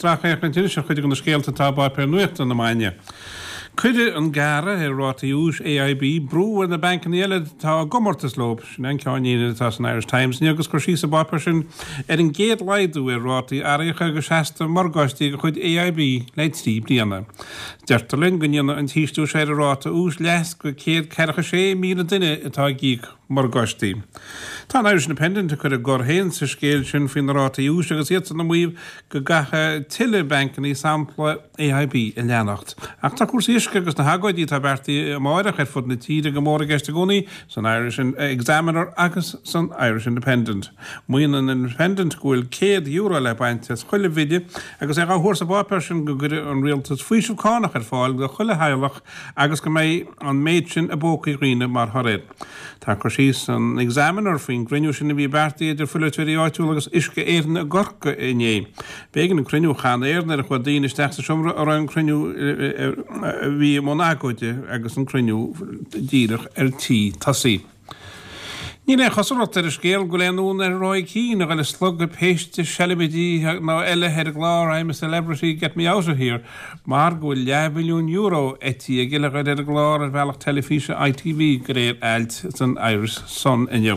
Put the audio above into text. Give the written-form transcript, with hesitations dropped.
Sracfhéachaint anois ar chuid de na scéalta atá i bpáipéir nuachta na maidine. Cuirfidh an gearradh ar rátaí úis AIB brú ar na bancanna eile atá i gcomórtas leo, sin an ceannlíne atá san Irish Times inniu agus cur síos sa bpáipéar sin ar an gcéad laghdú ar rátaí airíocha agus seasta morgáistí de chuid AIB le 3 bliana. Deirtear linn go ndéanfaidh an t-ísliú seo ar an ráta úis leas go 146,000 duine atá ag íoc morgáistí. Tá an Irish Independent ag cur a gcor féin sa scéal sin faoi na rátaí úis agus iadsan ag maíomh go gcaithfidh tuilleadh bancanna sampla AIB a leanacht. Ach tá cúrsaí uisce agus na hagóidí atá beartaithe amáireach ar fud na tíre go mór i gceist i gcónaí san Irish Examiner agus san Irish Independent. Maíonn an Independent go bhfuil €100 le baint as chuile bhille agus é á thuar sa bpáipéar sin go gcuirfidh an rialtas faoiseamh cánach ar fáil do chuile theaghlach agus go mbeidh an méid sin i bpócaí dhaoine mar thoradh air. Tá cur síos san Examiner faoin gcruinniú sin a bhí beartaithe idir pholaiteoirí áitiúla agus Uisce Éireann i gCorcaigh inné. B'éigean an cruinniú a chainéal nuair a chuaigh daoine isteach sa seomra a raibh an cruinniú a bhí i mbun agóide agus an cruinniú díreach ar tí tosaí. Níl aon chosúlacht ar an scéal go bhfuil aon fhonn ar Roy Keane a dhul ag slogadh péiste seilbidí ná eile ar an gclár I'm a Celebrity, Get Me Out of Here mar go bhfuil leathmhilliún euro eitithe aige le dhul ar an gclár ar bhealach teilifíse ITV de réir ailt san Irish Sun inniu.